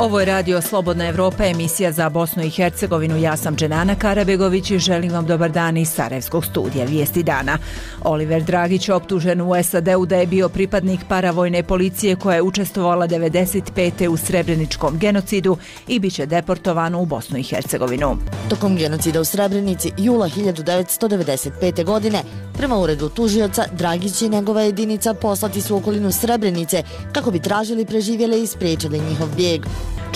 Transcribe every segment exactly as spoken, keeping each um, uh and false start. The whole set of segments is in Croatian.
Ovo je Radio Slobodna Evropa, emisija za Bosnu i Hercegovinu. Ja sam Dženana Karabegović i želim vam dobar dan iz Sarajevskog studija Vijesti dana. Oliver Dragić optužen u S A D-u da je bio pripadnik paravojne policije koja je učestvovala devedeset pete u Srebreničkom genocidu i bit će deportovan u Bosnu i Hercegovinu. Tokom genocida u Srebrenici jula hiljadu devetsto devedeset pete. godine, prema uredu tužioca, Dragić i njegova jedinica poslati su u okolinu Srebrenice kako bi tražili preživjele i spriječili njihov bijeg.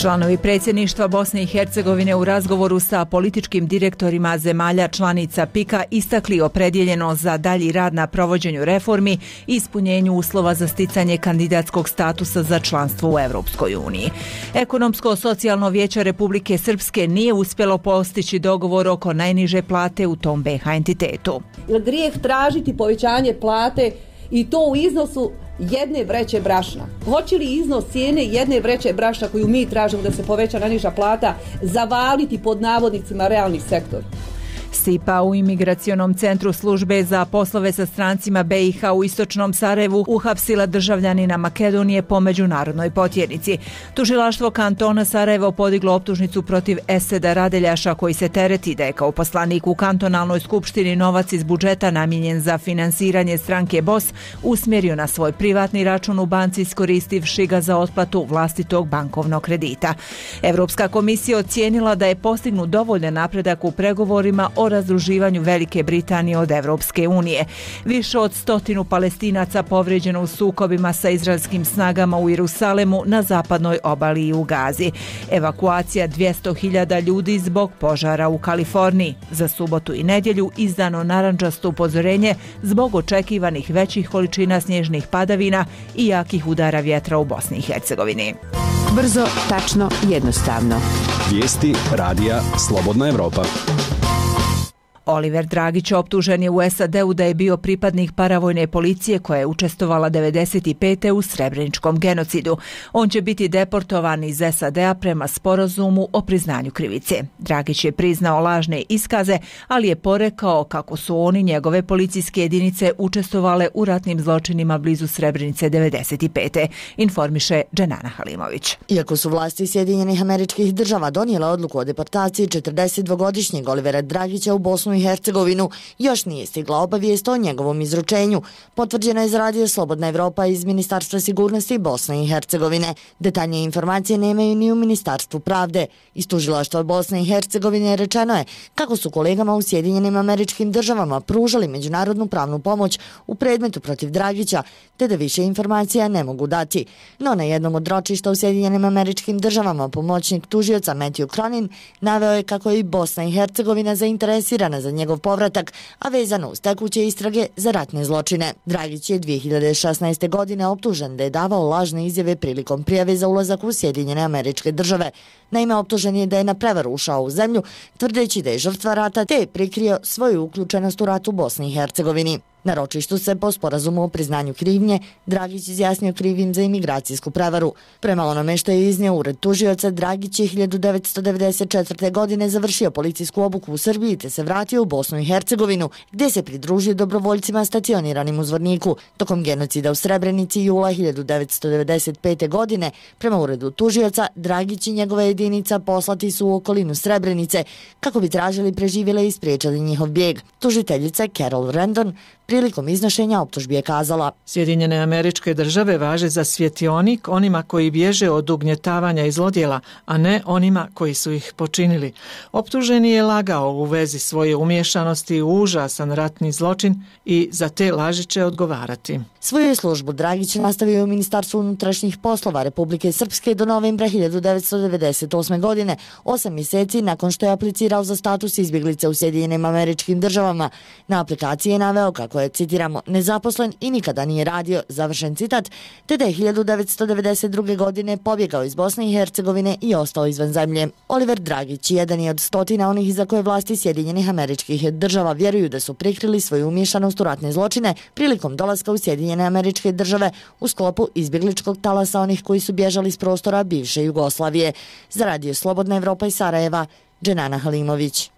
Članovi predsjedništva Bosne i Hercegovine u razgovoru sa političkim direktorima zemalja članica P I K-a istakli opredjeljeno za dalji rad na provođenju reformi i ispunjenju uslova za sticanje kandidatskog statusa za članstvo u Evropskoj uniji. Ekonomsko-socijalno vijeće Republike Srpske nije uspjelo postići dogovor oko najniže plate u tom B iH entitetu. Grijeh tražiti povećanje plate i to u iznosu jedne vreće brašna. Hoće li iznos cijene jedne vreće brašna koju mi tražimo da se poveća najniža plata zavaliti pod navodnicima realni sektor? S I P A u imigracionom centru službe za poslove sa strancima B iH u istočnom Sarajevu uhapsila državljanina Makedonije po međunarodnoj potjernici. Tužilaštvo kantona Sarajevo podiglo optužnicu protiv Eseda Radeljaša koji se tereti da je kao poslanik u kantonalnoj skupštini novac iz budžeta namijenjen za finansiranje stranke B O S usmjerio na svoj privatni račun u banci iskoristivši ga za otplatu vlastitog bankovnog kredita. Evropska komisija ocijenila da je postignut dovoljan napredak u pregovorima o razdruživanju Velike Britanije od Evropske unije. Više od stotinu Palestinaca povrijeđeno u sukobima sa izraelskim snagama u Jerusalemu, na zapadnoj obali i u Gazi. Evakuacija dvjesto hiljada ljudi zbog požara u Kaliforniji. Za subotu i nedjelju izdano narandžasto upozorenje zbog očekivanih većih količina snježnih padavina i jakih udara vjetra u Bosni i Hercegovini. Brzo, tačno, jednostavno. Vijesti radija Slobodna Evropa. Oliver Dragić optužen je u S A D-u da je bio pripadnik paravojne policije koja je učestvovala devedeset pete. u Srebreničkom genocidu. On će biti deportovan iz S A D-a prema sporazumu o priznanju krivice. Dragić je priznao lažne iskaze, ali je porekao kako su oni, njegove policijske jedinice, učestvovale u ratnim zločinima blizu Srebrenice devedeset pete. Informiše Dženana Halimović. Iako su vlasti Sjedinjenih Američkih Država donijela odluku o deportaciji četrdesetdvogodišnjeg Olivera Dragića u Bosnu i Hercegovinu, još nije stigla obavijest o njegovom izručenju. Potvrđena je iz Radio Slobodna Evropa iz Ministarstva sigurnosti Bosne i Hercegovine. Detaljnije informacije nemaju ni u Ministarstvu pravde. Iz tužilaštva Bosne i Hercegovine rečeno je kako su kolegama u Sjedinjenim Američkim Državama pružali međunarodnu pravnu pomoć u predmetu protiv Dragića, te da više informacija ne mogu dati. No na jednom od ročišta u Sjedinjenim Američkim Državama pomoćnik tužioca Matthew Cronin naveo je kako je i Bosna i Hercegovina zainteresirana za njegov povratak, a vezano uz tekuće istrage za ratne zločine. Dragić je dvije hiljade šesnaeste. godine optužen da je davao lažne izjave prilikom prijave za ulazak u Sjedinjene Američke Države. Naime, optužen je da je na prevaru ušao u zemlju, tvrdeći da je žrtva rata, te je prikrio svoju uključenost u rat u Bosni i Hercegovini. Na ročištu se po sporazumu o priznanju krivnje Dragić izjasnio krivim za imigracijsku prevaru. Prema onome što je iznio ured tužioca, Dragić je hiljadu devetsto devedeset četvrte. godine završio policijsku obuku u Srbiji te se vratio u Bosnu i Hercegovinu, gdje se pridružio dobrovoljcima stacioniranim u Zvorniku. Tokom genocida u Srebrenici jula hiljadu devetsto devedeset pete. godine, prema uredu tužioca, Dragić i njegova jedinica poslati su u okolinu Srebrenice kako bi tražili preživjele i spriječili njihov bijeg. Tužiteljica Carol Randon prilikom iznošenja optužbi je kazala: Sjedinjene Američke Države važe za svjetionik onima koji bježe od ugnjetavanja i zlodjela, a ne onima koji su ih počinili. Optuženi je lagao u vezi svoje umješanosti u užasan ratni zločin i za te laži će odgovarati. Svoju službu Dragić nastavio u Ministarstvu unutrašnjih poslova Republike Srpske do novembra hiljadu devetsto devedeset osme. godine, osam mjeseci nakon što je aplicirao za status izbjeglice u Sjedinjenim Američkim Državama. Na aplikaciji je naveo kako je, citiramo, nezaposlen i nikada nije radio, završen citat, te da je hiljadu devetsto devedeset druge. godine pobjegao iz Bosne i Hercegovine i ostao izvan zemlje. Oliver Dragić jedan je od stotina onih za koje vlasti Sjedinjenih Američkih Država vjeruju da su prikrili svoju umješanost u ratne zločine prilikom dolaska u Sjedinjene Američke Države u sklopu izbjegličkog talasa onih koji su bježali s prostora bivše Jugoslavije. Za Radio Slobodna Evropa iz Sarajeva, Dženana Halimović.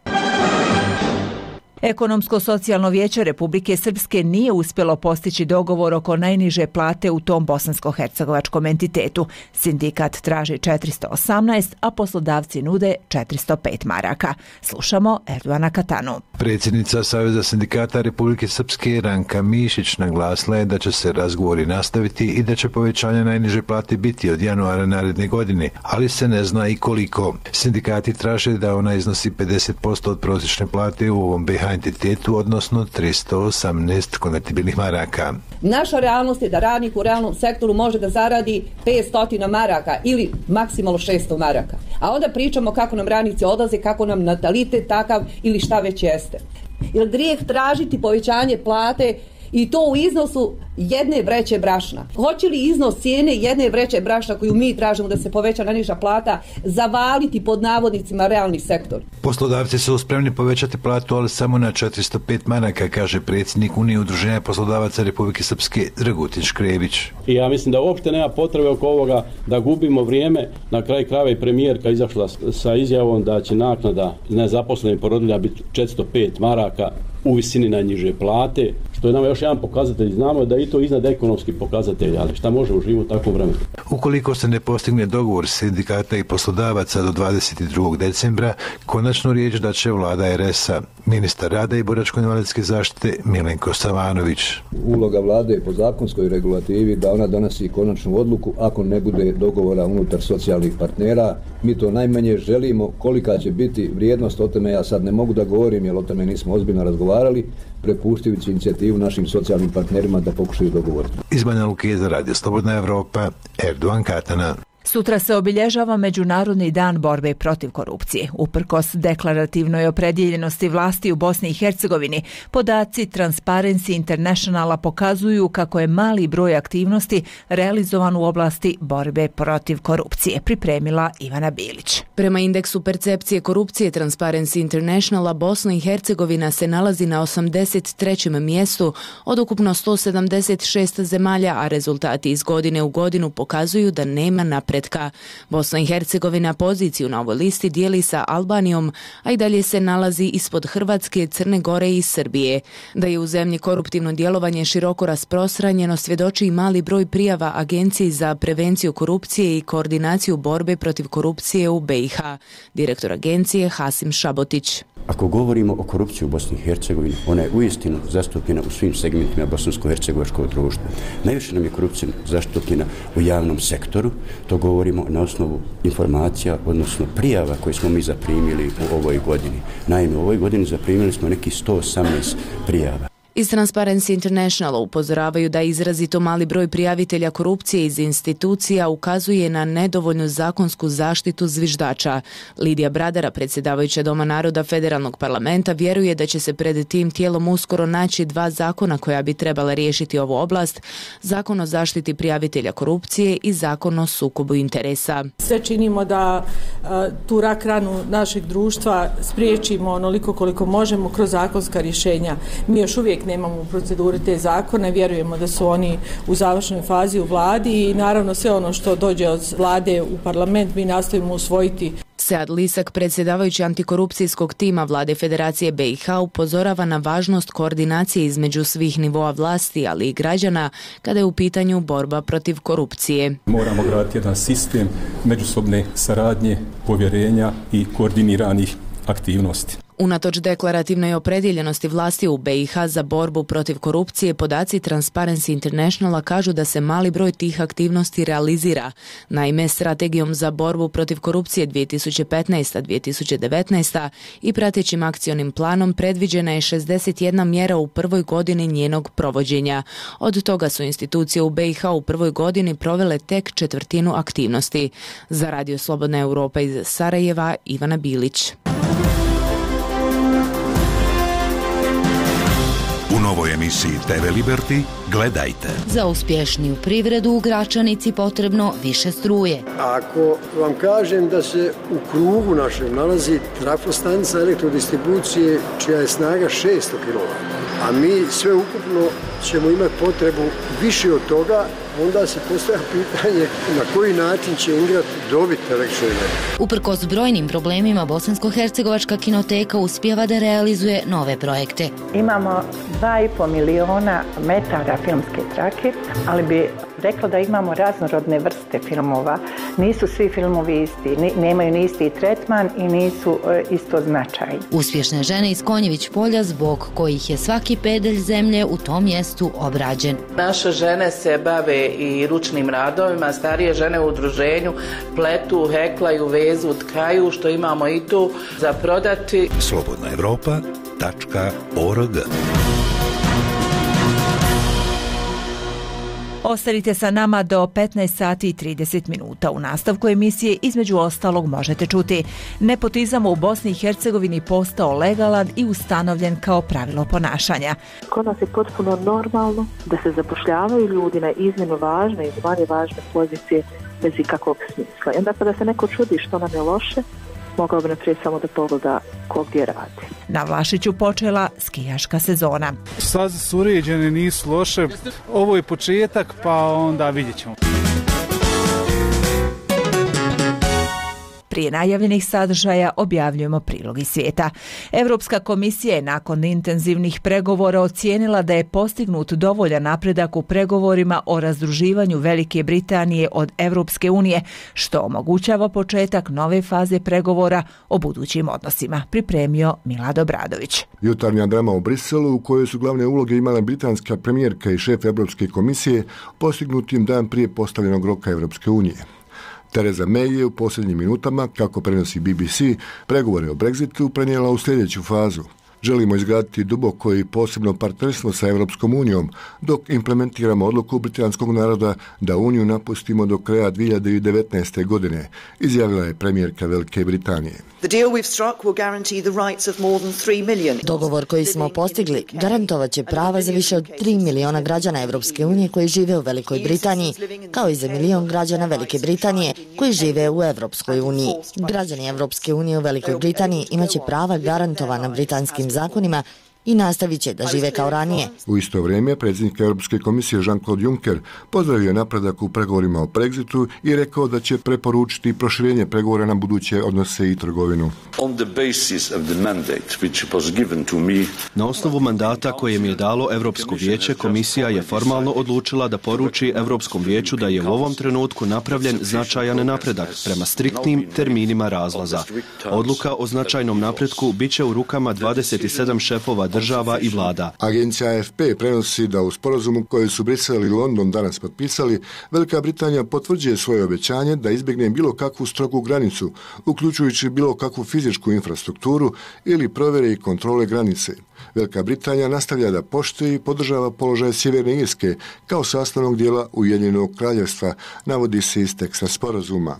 Ekonomsko-socijalno vijeće Republike Srpske nije uspjelo postići dogovor oko najniže plate u tom bosansko-hercegovačkom entitetu. Sindikat traži četiristo osamnaest, a poslodavci nude četiristo pet maraka. Slušamo Erdoana Katanu. Predsjednica Saveza sindikata Republike Srpske Ranka Mišić naglasila je da će se razgovori nastaviti i da će povećanje najniže plate biti od januara naredne godine, ali se ne zna i koliko. Sindikati traže da ona iznosi pedeset posto od prosječne plate u ovom be ha entitetu, odnosno tristo osamnaest konvertibilnih maraka. Naša realnost je da radnik u realnom sektoru može da zaradi petsto maraka ili maksimalno šesto maraka. A onda pričamo kako nam radnici odlaze, kako nam natalitet takav ili šta već jeste. Jer grijeh tražiti povećanje plate i to u iznosu jedne vreće brašna. Hoće li iznos cijene jedne vreće brašna koju mi tražimo da se poveća najniža plata zavaliti pod navodnicima realni sektor? Poslodavci su spremni povećati platu, ali samo na četiristo pet maraka, kaže predsjednik Unije udruženja poslodavaca Republike Srpske Dragutin Škrević. I ja mislim da uopšte nema potrebe oko ovoga da gubimo vrijeme. Na kraj krajeva i premijerka izašla sa izjavom da će naknada nezaposlenih porodilja biti četiristo pet maraka u visini najniže plate, što je nam još jedan pokazatelj. Znamo da je i to iznad ekonomskih pokazatelja, ali šta može uživati u takvom vremenu? Ukoliko se ne postigne dogovor sindikata i poslodavaca do dvadeset drugog decembra, konačnu riječ da će vlada er es a. Ministar rada i boračko-invalidske zaštite Milenko Savanović. Uloga vlade je po zakonskoj regulativi da ona donosi konačnu odluku ako ne bude dogovora unutar socijalnih partnera. Mi to najmanje želimo. Kolika će biti vrijednost, o tome ja sad ne mogu da govorim, jer o tome nismo ozbiljno razgovarali, prepuštajući inicijativu našim socijalnim partnerima da pokušaju dogovoriti. Iz Banja Luke za Radio Slobodna Evropa, Erdoan Katana. Sutra se obilježava Međunarodni dan borbe protiv korupcije. Uprkos deklarativnoj opredjeljenosti vlasti u Bosni i Hercegovini, podaci Transparency Internationala pokazuju kako je mali broj aktivnosti realizovan u oblasti borbe protiv korupcije, pripremila Ivana Bilić. Prema indeksu percepcije korupcije Transparency Internationala, Bosna i Hercegovina se nalazi na osamdeset trećem mjestu od ukupno sto sedamdeset šest zemalja, a rezultati iz godine u godinu pokazuju da nema napretka. Bosna i Hercegovina poziciju na ovoj listi dijeli sa Albanijom, a i dalje se nalazi ispod Hrvatske, Crne Gore i Srbije. Da je u zemlji koruptivno djelovanje široko rasprostranjeno svjedoči i mali broj prijava Agenciji za prevenciju korupcije i koordinaciju borbe protiv korupcije u be i ha. Direktor agencije Hasim Šabotić. Ako govorimo o korupciji u Bosni i Hercegovini, ona je uistinu zastupljena u svim segmentima bosansko-hercegovačkog društva. Najviše nam je korupcija zastupljena u javnom sektoru, to govorimo na osnovu informacija, odnosno prijava koje smo mi zaprimili u ovoj godini. Naime, u ovoj godini zaprimili smo nekih sto osamnaest prijava. Iz Transparency Internationala upozoravaju da izrazito mali broj prijavitelja korupcije iz institucija ukazuje na nedovoljnu zakonsku zaštitu zviždača. Lidija Bradara, predsjedavajuća Doma naroda Federalnog parlamenta, vjeruje da će se pred tim tijelom uskoro naći dva zakona koja bi trebala riješiti ovu oblast, Zakon o zaštiti prijavitelja korupcije i Zakon o sukobu interesa. Sve činimo da a, tu rak ranu našeg društva spriječimo onoliko koliko možemo kroz zakonska rješenja. Mi još uvijek nemamo u proceduri te zakone, vjerujemo da su oni u završnoj fazi u vladi i naravno sve ono što dođe od vlade u parlament mi nastojimo usvojiti. Sead Lisak, predsjedavajući antikorupcijskog tima vlade Federacije be i ha, upozorava na važnost koordinacije između svih nivoa vlasti, ali i građana, kada je u pitanju borba protiv korupcije. Moramo graditi jedan sistem međusobne saradnje, povjerenja i koordiniranih aktivnosti. Unatoč deklarativnoj opredjeljenosti vlasti u be i ha za borbu protiv korupcije, podaci Transparency Internationala kažu da se mali broj tih aktivnosti realizira. Naime, strategijom za borbu protiv korupcije dvije tisuće petnaesta do dvije tisuće devetnaesta i pratećim akcionim planom predviđena je šezdeset jedna mjera u prvoj godini njenog provođenja. Od toga su institucije u be i ha u prvoj godini provele tek četvrtinu aktivnosti. Za Radio Slobodna Evropa iz Sarajeva, Ivana Bilić. U novoj emisiji te ve Liberty gledajte. Za uspješniju privredu u Gračanici potrebno više struje. Ako vam kažem da se u krugu našem nalazi trafostanica elektrodistribucije čija je snaga šesto kilovata, a mi sve ukupno ćemo imati potrebu više od toga onda se postavlja pitanje na koji način će Ingrad dobiti električnu energiju. Uprkos brojnim problemima, Bosansko-hercegovačka kinoteka uspijeva da realizuje nove projekte. Imamo dva i pol miliona metara filmske trake, ali bi rekla da imamo raznorodne vrste filmova. Nisu svi filmovi isti, nemaju ni isti tretman i nisu e, isto značaj. Uspješne žene iz Konjević polja, zbog kojih je svaki pedalj zemlje u tom mjestu obrađen. Naše žene se bave i ručnim radovima, starije žene u udruženju pletu, heklaju, vezu, tkaju, što imamo i tu za prodati. slobodna evropa tačka org. Ostanite sa nama do petnaest sati i trideset minuta. U nastavku emisije između ostalog možete čuti: nepotizam u Bosni i Hercegovini postao legalan i ustanovljen kao pravilo ponašanja. Kod nas je potpuno normalno da se zapošljavaju ljudi na iznimno važne i manje važne pozicije bez ikakvog smisla. I onda kada se neko čudi što nam je loše, mogao bi naprijed samo da pogleda ko gdje radi. Na Vlašiću počela skijaška sezona. Staze su uređene, nisu loše. Ovo je početak, pa onda vidjet ćemo. Prije najavljenih sadržaja objavljujemo prilog iz svijeta. Europska komisija je nakon intenzivnih pregovora ocijenila da je postignut dovoljan napredak u pregovorima o razdruživanju Velike Britanije od Europske unije, što omogućava početak nove faze pregovora o budućim odnosima. Pripremio Milad Obradović. Jutarnja drama u Briselu, u kojoj su glavne uloge imala britanska premijerka i šef Europske komisije, postignutim dan prije postavljenog roka Europske unije. Theresa May je u posljednjim minutama, kako prenosi B B C, pregovore o Brexitu prenijela u sljedeću fazu. Želimo izgraditi duboko i posebno partnerstvo sa Europskom unijom, dok implementiramo odluku britanskog naroda da uniju napustimo do kraja dvije hiljade devetnaeste. godine, izjavila je premijerka Velike Britanije. Dogovor koji smo postigli garantovat će prava za više od tri miliona građana Europske unije koji žive u Velikoj Britaniji, kao i za milion građana Velike Britanije koji žive u Europskoj uniji. Građani Europske unije u Velikoj Britaniji imaće prava garantovana britanskim zakonima i nastavit će da žive kao ranije. U isto vrijeme, predsjednik Europske komisije Jean-Claude Juncker pozdravio napredak u pregovorima o Brexitu i rekao da će preporučiti proširenje pregovora na buduće odnose i trgovinu. Na osnovu mandata koje mi je dalo Europsko vijeće, komisija je formalno odlučila da poruči Europskom vijeću da je u ovom trenutku napravljen značajan napredak prema striktnim terminima razlaza. Odluka o značajnom napretku bit će u rukama dvadeset sedam šefova država i vlada. Agencija A F P prenosi da u sporazumu koji su Brisel i London danas potpisali, Velika Britanija potvrđuje svoje obećanje da izbjegne bilo kakvu strogu granicu, uključujući bilo kakvu fizičku infrastrukturu ili provjere i kontrole granice. Velika Britanija nastavlja da poštuje i podržava položaj Sjeverne Irske kao sastavnog dijela Ujedinjenog kraljevstva, navodi se iz teksta sporazuma.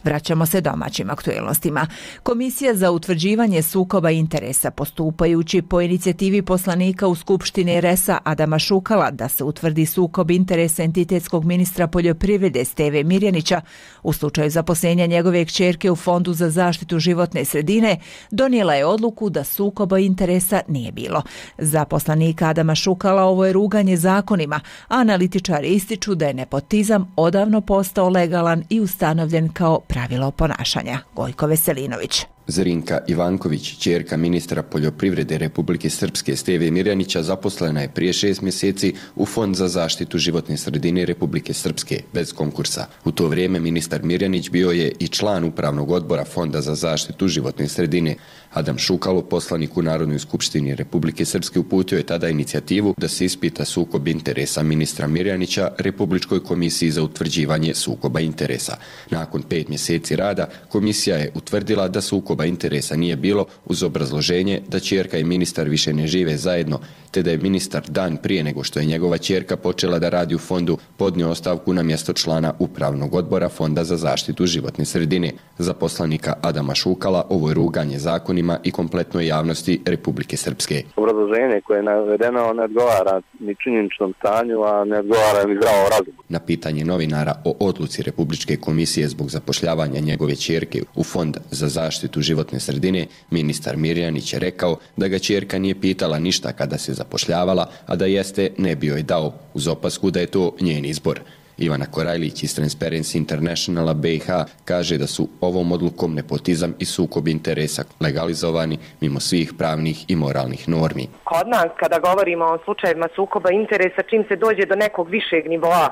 Vraćamo se domaćim aktuelnostima. Komisija za utvrđivanje sukoba interesa, postupajući po inicijativi poslanika u Skupštini R E S-a Adama Šukala da se utvrdi sukob interesa entitetskog ministra poljoprivrede Steve Mirjanića u slučaju zaposlenja njegove kćerke u Fondu za zaštitu životne sredine, donijela je odluku da sukoba interesa nije bilo. Za poslanika Adama Šukala ovo je ruganje zakonima, a analitičari ističu da je nepotizam odavno postao legalan i ustanovljen kao pravilo ponašanja. Gojko Veselinović. Zrinka Ivanković, ćerka ministra poljoprivrede Republike Srpske Steve Mirjanića, zaposlena je prije šest mjeseci u Fond za zaštitu životne sredine Republike Srpske bez konkursa. U to vrijeme ministar Mirjanić bio je i član upravnog odbora Fonda za zaštitu životne sredine. Adam Šukalo, poslanik u Narodnoj skupštini Republike Srpske, uputio je tada inicijativu da se ispita sukob interesa ministra Mirjanića Republičkoj komisiji za utvrđivanje sukoba interesa. Nakon pet mjeseci rada, komisija je utvrdila da sukoba interesa nije bilo, uz obrazloženje da ćerka i ministar više ne žive zajedno, te da je ministar dan prije nego što je njegova ćerka počela da radi u fondu podnio ostavku na mjesto člana upravnog odbora Fonda za zaštitu životne sredine. Za poslanika Adama Šukala ovo je ruganje zakonima građanima i kompletnoj javnosti Republike Srpske. Obrazloženje koje je navedeno ne odgovara ni činjeničnom stanju, a ne odgovara ni zdravom razumu. Na pitanje novinara o odluci Republičke komisije zbog zapošljavanja njegove ćerke u Fond za zaštitu životne sredine, ministar Mirjanić je rekao da ga ćerka nije pitala ništa kada se zapošljavala, a da jeste ne bi joj dao, uz opasku da je to njen izbor. Ivana Korajlić iz Transparency Internationala B i H kaže da su ovom odlukom nepotizam i sukob interesa legalizovani mimo svih pravnih i moralnih normi. Kod nas, kada govorimo o slučajevima sukoba interesa, čim se dođe do nekog višeg nivoa,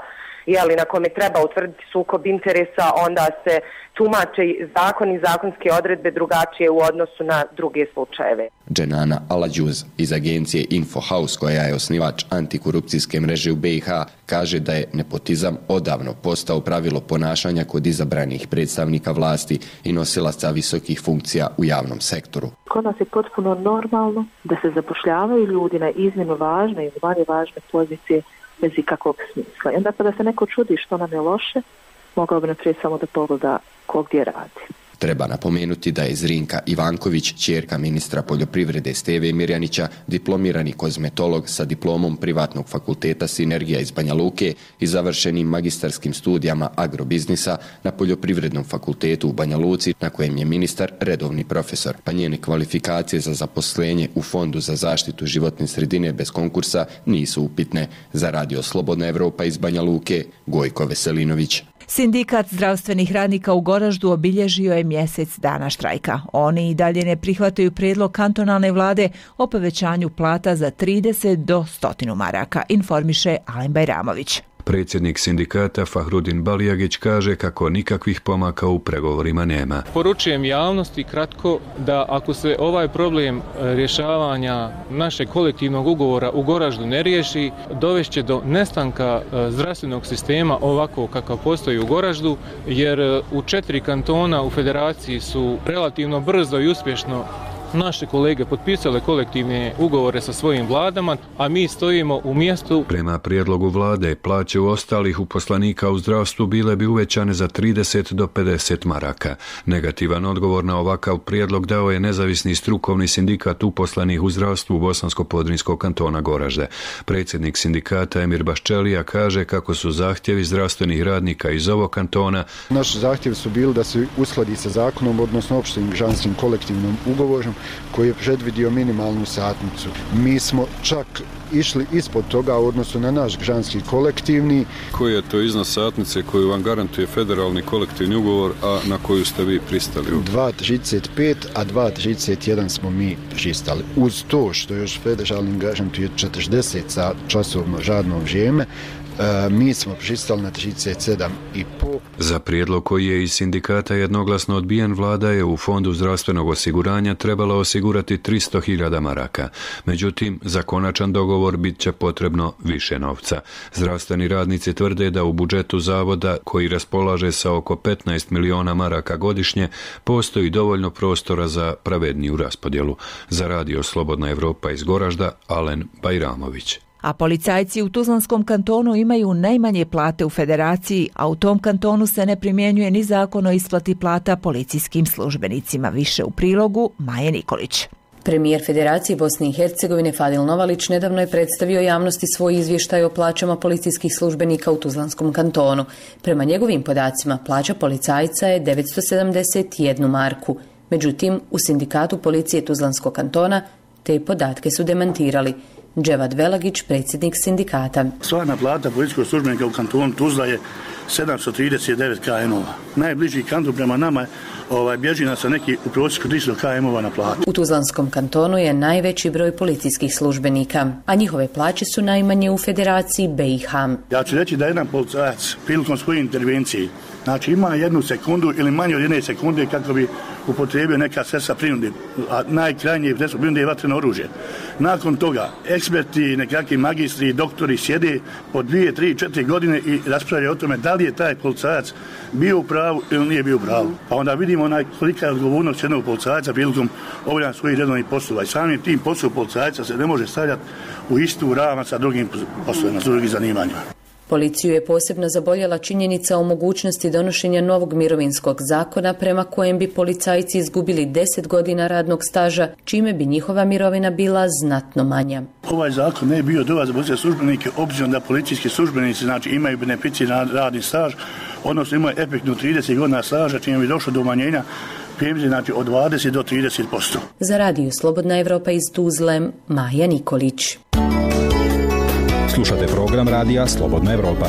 jeli, na kome treba utvrditi sukob interesa, onda se tumače zakon i zakonske odredbe drugačije u odnosu na druge slučajeve. Dženana Alađuz iz agencije Infohouse, koja je osnivač antikorupcijske mreže u B i H, kaže da je nepotizam odavno postao pravilo ponašanja kod izabranih predstavnika vlasti i nosilaca visokih funkcija u javnom sektoru. Kod nas je potpuno normalno da se zapošljavaju ljudi na iznimno važne i manje važne pozicije bez ikakvog smisla. I onda kada se neko čudi što nam je loše, mogao bi naprijed samo da pogleda ko gdje radi. Treba napomenuti da je Zrinka Ivanković, ćerka ministra poljoprivrede Steve Mirjanića, diplomirani kozmetolog sa diplomom privatnog fakulteta Sinergija iz Banja Luke i završenim magistarskim studijama agrobiznisa na Poljoprivrednom fakultetu u Banja Luci, na kojem je ministar redovni profesor, pa njene kvalifikacije za zaposlenje u Fondu za zaštitu životne sredine bez konkursa nisu upitne. Za Radio Slobodna Evropa iz Banja Luke, Gojko Veselinović. Sindikat zdravstvenih radnika u Goraždu obilježio je mjesec dana štrajka. Oni i dalje ne prihvataju prijedlog kantonalne vlade o povećanju plata za trideset do sto maraka, informiše Alen Bajramović. Predsjednik sindikata Fahrudin Balijagić kaže kako nikakvih pomaka u pregovorima nema. Poručujem javnosti kratko da ako se ovaj problem rješavanja našeg kolektivnog ugovora u Goraždu ne riješi, dovešće do nestanka zdravstvenog sistema ovako kakav postoji u Goraždu, jer u četiri kantona u federaciji su relativno brzo i uspješno naše kolege potpisale kolektivne ugovore sa svojim vladama, a mi stojimo u mjestu. Prema prijedlogu vlade, plaće u ostalih uposlenika u zdravstvu bile bi uvećane za trideset do pedeset maraka. Negativan odgovor na ovakav prijedlog dao je nezavisni strukovni sindikat uposlenih u zdravstvu Bosansko-Podrinjskog kantona Goražde. Predsjednik sindikata Emir Baščelija kaže kako su zahtjevi zdravstvenih radnika iz ovog kantona. Naši zahtjevi su bili da se uskladi sa zakonom, odnosno opštim granskim kolektivnom ugovorom, koji je predvidio minimalnu satnicu. Mi smo čak išli ispod toga u odnosu na naš granski kolektivni. Koji je to iznos satnice koju vam garantuje federalni kolektivni ugovor, a na koju ste vi pristali? dva trideset pet, a dva trideset jedan smo mi pristali. Uz to što još federalni garantuje četrdeset časovno radno vrijeme, mi smo pristali na trideset sedam i pol. Za prijedlog koji je iz sindikata jednoglasno odbijen, vlada je u Fondu zdravstvenog osiguranja trebala osigurati tristo hiljada maraka. Međutim, za konačan dogovor bit će potrebno više novca. Zdravstveni radnici tvrde da u budžetu zavoda, koji raspolaže sa oko petnaest miliona maraka godišnje, postoji dovoljno prostora za pravedniju raspodjelu. Za Radio Slobodna Evropa iz Goražda, Alen Bajramović. A policajci u Tuzlanskom kantonu imaju najmanje plate u federaciji, a u tom kantonu se ne primjenjuje ni zakon o isplati plata policijskim službenicima. Više u prilogu Maje Nikolić. Premijer Federacije Bosne i Hercegovine Fadil Novalić nedavno je predstavio javnosti svoj izvještaj o plaćama policijskih službenika u Tuzlanskom kantonu. Prema njegovim podacima, plaća policajca je devetsto sedamdeset jednu marku. Međutim, u sindikatu policije Tuzlanskog kantona te podatke su demantirali. Dževad Velagić, predsjednik sindikata. Stvarna plata policijskog službenika u kantonu Tuzla je sedamsto trideset devet km-ova. Najbliži kanton prema nama ovaj, bježi nas sa neki u prosjeku tristo km-ova na platu. U Tuzlanskom kantonu je najveći broj policijskih službenika, a njihove plaće su najmanje u Federaciji B i H. Ja ću reći da jedan policajac prilikom svoje intervencije, znači ima jednu sekundu ili manje od jedne sekunde kako bi upotrijebio neka sredstva prinude, a najkrajnije sredstvo prinude je vatreno oružje. Nakon toga eksperti, nekakvi magistri, doktori sjede po dvije, tri, četiri godine i raspravljaju o tome da li je taj policajac bio u pravu ili nije bio u pravu. Pa onda vidimo onaj kolika je odgovornost jednog policajca prilikom obavljanja svojih redovnih poslova. I samim tim poslu policajca se ne može stavljati u istu ravan sa drugim poslovima, sa drugim zanimanjima. Policiju je posebno zaboljela činjenica o mogućnosti donošenja novog mirovinskog zakona prema kojem bi policajci izgubili deset godina radnog staža, čime bi njihova mirovina bila znatno manja. Ovaj zakon ne je bio dobar za policijske službenike, obzirom da policijski službenici znači, imaju beneficiran radni staž, odnosno imaju efektnu trideset godina staža, čime bi došlo do umanjenja penzije znači, od dvadeset do trideset posto. Za radio Slobodna Evropa iz Tuzle, Maja Nikolić. Slušate program radija Slobodna Evropa.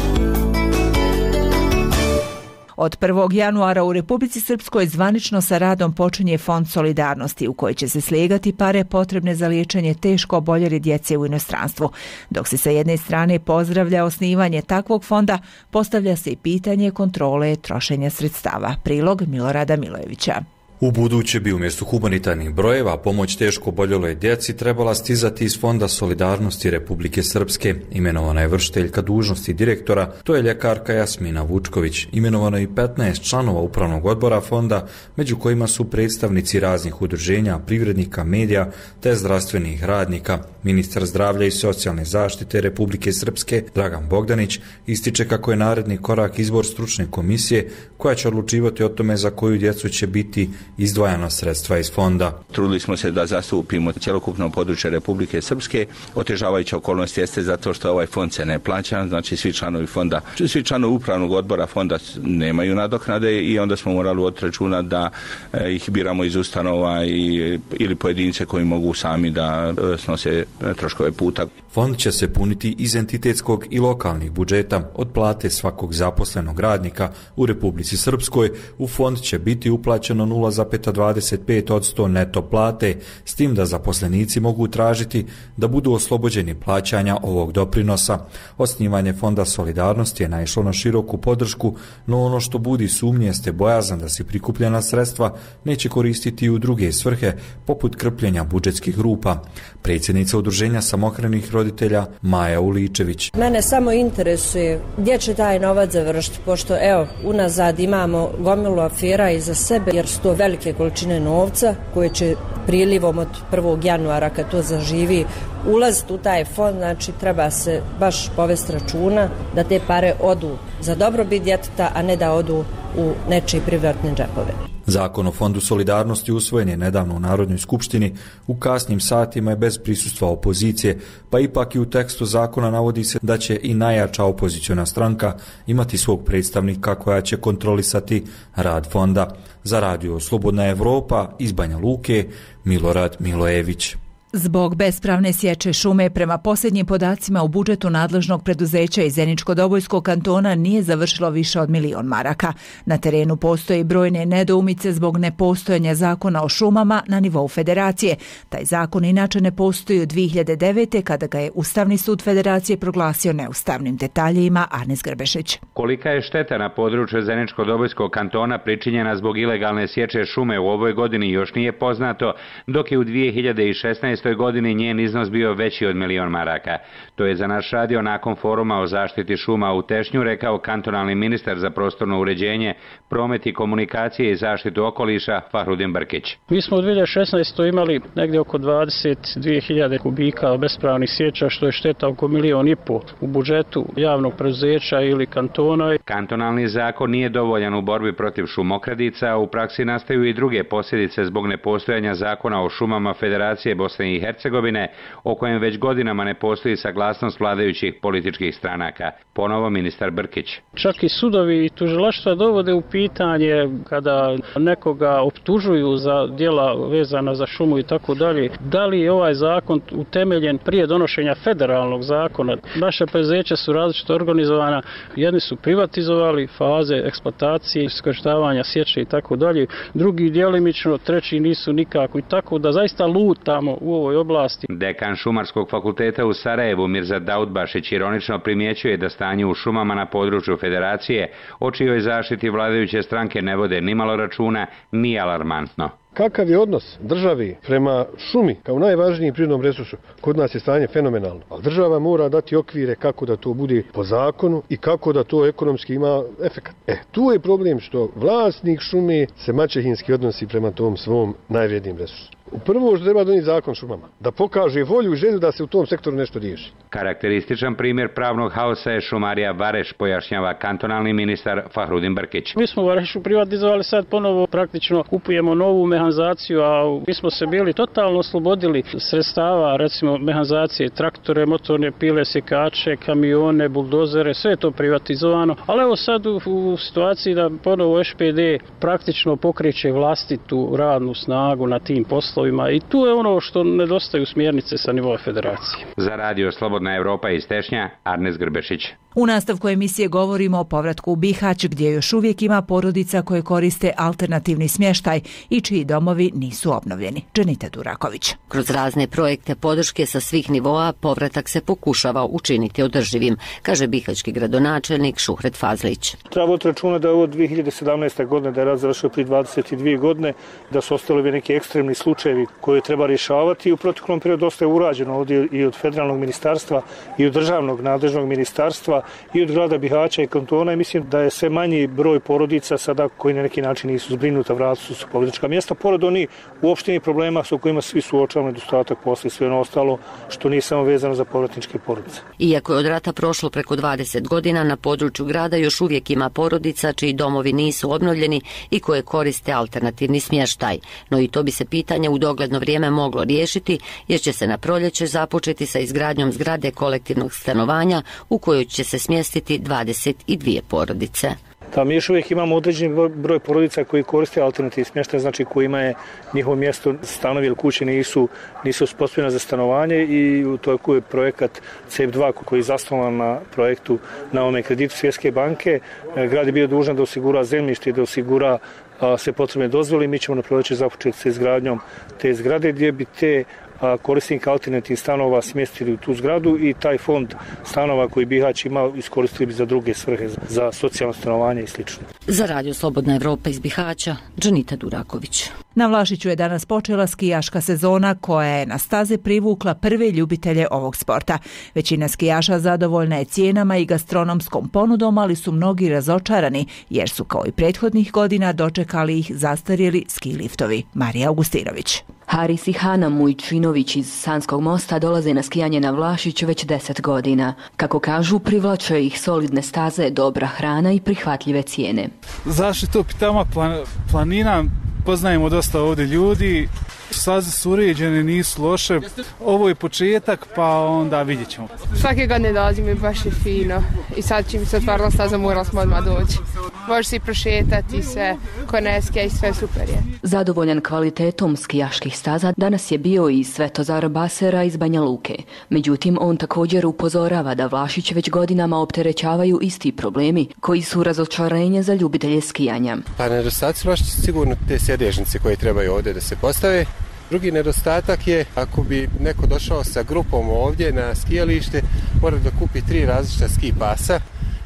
Od prvog januara u Republici Srpskoj zvanično sa radom počinje Fond solidarnosti u koji će se slijegati pare potrebne za liječenje teško oboljele djece u inostranstvu. Dok se sa jedne strane pozdravlja osnivanje takvog fonda, postavlja se i pitanje kontrole trošenja sredstava. Prilog Milorada Milojevića. U buduće bi umjesto humanitarnih brojeva pomoć teško oboljeloj djeci trebala stizati iz Fonda solidarnosti Republike Srpske. Imenovana je vršiteljka dužnosti direktora, to je ljekarka Jasmina Vučković. Imenovano je i petnaest članova upravnog odbora fonda, među kojima su predstavnici raznih udruženja, privrednika, medija te zdravstvenih radnika. Ministar zdravlja i socijalne zaštite Republike Srpske, Dragan Bogdanić, ističe kako je naredni korak izbor stručne komisije koja će odlučivati o tome za koju djecu će biti izdvajana sredstva iz fonda. Trudili smo se da zastupimo cjelokupno područje Republike Srpske. Otežavajuća okolnost jeste zato što ovaj fond se ne plaća, znači svi članovi fonda, svi članovi upravnog odbora fonda nemaju nadoknade i onda smo morali voditi računa da eh, ih biramo iz ustanova i, ili pojedince koji mogu sami da eh, snose troškove puta. Fond će se puniti iz entitetskog i lokalnih budžeta. Od plate svakog zaposlenog radnika u Republici Srpskoj u fond će biti uplaćeno nula zarez dvadeset pet posto neto plate, s tim da zaposlenici mogu tražiti da budu oslobođeni plaćanja ovog doprinosa. Osnivanje Fonda solidarnosti je naišlo na široku podršku, no ono što budi sumnje jeste bojazan da se prikupljena sredstva neće koristiti u druge svrhe, poput krpljenja budžetskih rupa. Predsjednica udruženja samohranih roditelja Maja Uličević. Mene samo interesuje gdje će taj novac završiti, pošto evo, unazad imamo gomilu afera iza sebe, jer su to velike količine novca koje će prilivom od prvog januara kad to zaživi ulaziti u taj fond, znači treba se baš povesti računa da te pare odu za dobrobit djeteta, a ne da odu u nečiji privatne džepove. Zakon o Fondu solidarnosti usvojen je nedavno u Narodnoj skupštini, u kasnim satima je bez prisustva opozicije, pa ipak i u tekstu zakona navodi se da će i najjača opoziciona stranka imati svog predstavnika koja će kontrolisati rad fonda. Za radio Slobodna Evropa iz Banja Luke, Milorad Milojević. Zbog bespravne sječe šume, prema posljednjim podacima u budžetu nadležnog preduzeća iz Zeničko-Dobojskog kantona nije završilo više od milion maraka. Na terenu postoje brojne nedoumice zbog nepostojanja zakona o šumama na nivou federacije. Taj zakon inače ne postoji od dvije hiljade devete. kada ga je Ustavni sud federacije proglasio neustavnim. Detaljima Arnes Grbešić. Kolika je šteta na području Zeničko-Dobojskog kantona pričinjena zbog ilegalne sječe šume u ovoj godini još nije poznato, dok je u dvije hiljade šesnaestoj godini njen iznos bio veći od milion maraka. To je za naš radio nakon foruma o zaštiti šuma u Tešnju rekao kantonalni ministar za prostorno uređenje, promet i komunikacije i zaštitu okoliša Fahrudin Brkić. Mi smo u dvije hiljade šesnaestoj imali negdje oko dvadeset dvije hiljade kubika bespravnih sječa, što je šteta oko milion i po u budžetu javnog preduzeća ili kantona. Kantonalni zakon nije dovoljan u borbi protiv šumokradica, u praksi nastaju i druge posljedice zbog nepostojanja zakona o šumama Federacije Bosne i Hercegovine, o kojem već godinama ne postoji saglasnost vladajućih političkih stranaka. Ponovo ministar Brkić. Čak i sudovi i tužilaštva dovode u pitanje kada nekoga optužuju za djela vezana za šumu i tako dalje. Da li je ovaj zakon utemeljen prije donošenja federalnog zakona? Naše preduzeća su različito organizovana. Jedni su privatizovali faze eksploatacije, iskorištavanja, sječe i tako dalje. Drugi djelimično, treći nisu nikako i tako da zaista lutamo u ovoj oblasti. Dekan Šumarskog fakulteta u Sarajevu Mirza Daudbašić ironično primjećuje da stanje u šumama na području federacije, o čijoj zaštiti vladajuće stranke ne vode nimalo računa, nije alarmantno. Kakav je odnos države prema šumi kao najvažnijim prirodnom resursu? Kod nas je stanje fenomenalno, ali država mora dati okvire kako da to bude po zakonu i kako da to ekonomski ima efekat. E, tu je problem što vlasnik šume se maćehinski odnosi prema tom svom najvrednijim resursu. Prvo što treba donijeti zakon šumama, da pokaže volju i želju da se u tom sektoru nešto riješi. Karakterističan primjer pravnog haosa je šumarija Vareš, pojašnjava kantonalni ministar Fahrudin Brkić. Mi smo Varešu privatizovali, sad ponovo praktično kupujemo novu mehanizaciju, a mi smo se bili totalno oslobodili sredstava, recimo mehanizacije, traktore, motorne pile, sjekače, kamione, buldozere, sve je to privatizovano. Ali evo sad u, u situaciji da ponovo Š P D praktično pokreće vlastitu radnu snagu na tim poslovima i tu je ono što nedostaju smjernice sa nivoa federacije. Za radio Slobodna Evropa iz Tešnja, Arnes Grbešić. U nastavku emisije govorimo o povratku u Bihać, gdje još uvijek ima porodica koje koriste alternativni smještaj i čiji domovi nisu obnovljeni. Dženita Duraković. Kroz razne projekte podrške sa svih nivoa povratak se pokušava učiniti održivim, kaže bihaćki gradonačelnik Šuhret Fazlić. Treba voditi računa da je ovo dvije hiljade sedamnaeste. godine, da je rat završio prije dvadeset dvije godine, da su ostali neki ekstremni slučajevi koje treba rješavati i u proteklom periodu dosta je urađeno ovdje i od federalnog ministarstva i od državnog nadležnog ministarstva i od grada Bihaća i kantona i mislim da je sve manji broj porodica sada koji na neki način nisu zbrinuta, vratili su povratnička mjesta, pored onih uopštenih problema sa kojima svi suočavamo, nedostatak posla i sve ono ostalo što nije samo vezano za povratničke porodice. Iako je od rata prošlo preko dvadeset godina, na području grada još uvijek ima porodica čiji domovi nisu obnovljeni i koje koriste alternativni smještaj. No i to bi se pitanje u dogledno vrijeme moglo riješiti jer će se na proljeće započeti sa izgradnjom zgrade kolektivnog stanovanja u kojoj će se smjestiti dvadeset dvije porodice. Da, mi još uvijek imamo određeni broj porodica koji koriste alternativni smještaj, znači kojima je njihovo mjesto, stanovi ili kuće nisu, nisu uspostavljene za stanovanje i to je projekat C E P dva koji je zasnovan na projektu na ovome kreditu Svjetske banke. Grad je bio dužan da osigura zemljište i da osigura sve potrebne dozvole i mi ćemo na proljeće započeti sa izgradnjom te zgrade gdje bi te korisnika alternativnih stanova smjestili u tu zgradu i taj fond stanova koji Bihać ima iskoristili bi za druge svrhe, za socijalno stanovanje i sl. Za radio Slobodna Evropa iz Bihaća, Dženita Duraković. Na Vlašiću je danas počela skijaška sezona koja je na staze privukla prve ljubitelje ovog sporta. Većina skijaša zadovoljna je cijenama i gastronomskom ponudom, ali su mnogi razočarani jer su kao i prethodnih godina dočekali ih zastarjeli ski liftovi. Marija Augustinović. Haris i Hana Mujčinović iz Sanskog mosta dolaze na skijanje na Vlašić već deset godina. Kako kažu, privlače ih solidne staze, dobra hrana i prihvatljive cijene. Zašto to pitama planina? Poznajemo dosta ovdje ljudi, staze su uređene, nisu loše. Ovo je početak, pa onda vidjet ćemo. Svake godine dolazim i baš je fino. I sad čim se otvarala staza, morali smo odmah doći. Može se i prošetati se, koneske i sve super je. Zadovoljan kvalitetom skijaških staza danas je bio i Svetozar Basera iz Banja Luke. Međutim, on također upozorava da Vlašić već godinama opterećavaju isti problemi koji su razočarenje za ljubitelje skijanja. Pa nedostaci Vlašić sigurno te sjedežnice koje trebaju ovdje da se postave. Drugi nedostatak je ako bi neko došao sa grupom ovdje na skijalište, mora da kupi tri različita ski pasa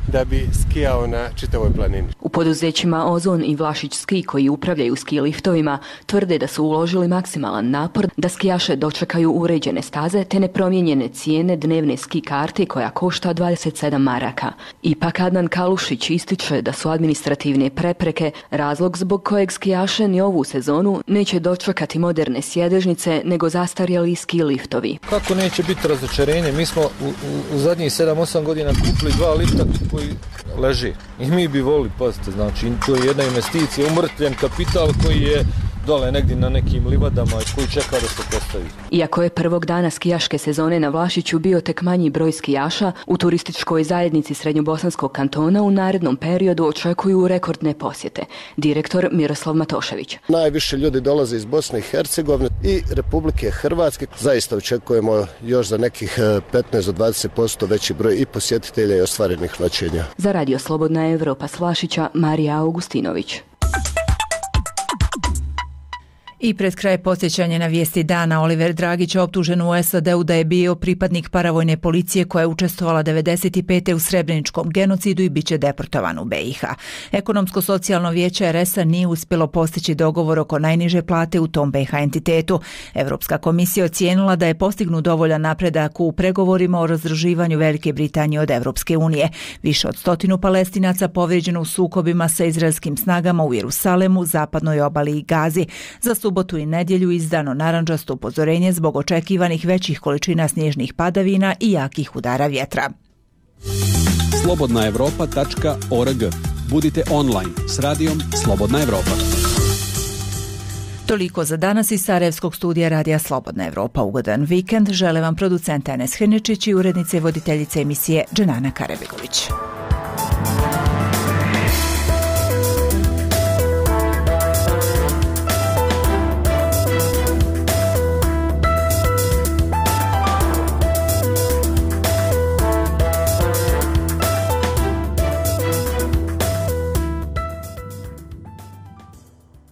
da bi skijao na čitavoj planini. U poduzećima Ozon i Vlašić Ski koji upravljaju ski liftovima tvrde da su uložili maksimalan napor da skijaše dočekaju uređene staze te nepromijenjene cijene dnevne ski karte koja košta dvadeset sedam maraka. Ipak Adnan Kalušić ističe da su administrativne prepreke razlog zbog kojeg skijaše ni ovu sezonu neće dočekati moderne sjedežnice nego zastarjeli ski liftovi. Kako neće biti razočarenje? Mi smo u, u, u zadnjih sedam osam godina kupili dva lifta koji leži i mi bi volili, pazite, znači to je jedna investicija, umrtljen kapital koji je dole negdje na nekim livadama koji čeka da se postavi. Iako je prvog dana skijaške sezone na Vlašiću bio tek manji broj skijaša, u turističkoj zajednici Srednjobosanskog kantona u narednom periodu očekuju rekordne posjete. Direktor Miroslav Matošević. Najviše ljudi dolaze iz Bosne i Hercegovine i Republike Hrvatske. Zaista očekujemo još za nekih petnaest do dvadeset posto veći broj i posjetitelja i ostvarenih noćenja. Za radio Slobodna Evropa s Vlašića, Marija Augustinović. I pred kraj podsjećanje na vijesti dana, Oliver Dragić optužen u S A D-u da je bio pripadnik paravojne policije koja je učestvovala devedeset pete u Srebreničkom genocidu i bit će deportovan u B i H. Ekonomsko-socijalno vijeće R S A nije uspjelo postići dogovor oko najniže plate u tom B i H entitetu. Europska komisija ocijenila da je postignut dovoljan napredak u pregovorima o razdruživanju Velike Britanije od Europske unije. Više od stotinu Palestinaca povrijeđeno u sukobima sa izraelskim snagama u Jerusalemu, zapadnoj obali i Gazi. Za subotu i nedjelju izdano narandžasto upozorenje zbog očekivanih većih količina snježnih padavina i jakih udara vjetra. slobodna europa tačka org. Budite online s radijom Slobodna Evropa. Toliko za danas iz Sarajevskog studija Radija Slobodna Evropa. Ugodan vikend žele vam producent Enes Hrničić i urednice i voditeljice emisije Dženana Karabegović.